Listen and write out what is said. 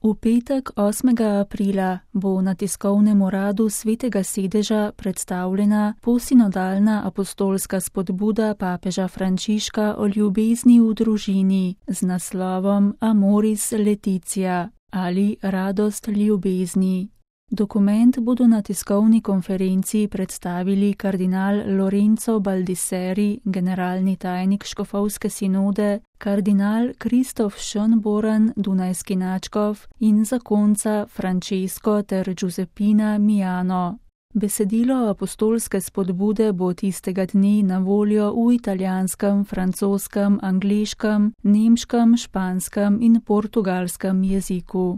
V petek 8. aprila bo na tiskovnem uradu Svetega sedeža predstavljena posinodalna apostolska spodbuda papeža Frančiška o ljubezni v družini z naslovom Amoris Laetitia ali Radost ljubezni. Dokument bodo na tiskovni konferenci predstavili kardinal Lorenzo Baldisseri, generalni tajnik škofovske sinode, kardinal Kristof Schönborn, dunajski nadškof in zakonca Francesco ter Giuseppina Miano. Besedilo apostolske spodbude bo tistega dne na voljo v italijanskem, francoskem, angleškem, nemškem, španskem in portugalskem jeziku.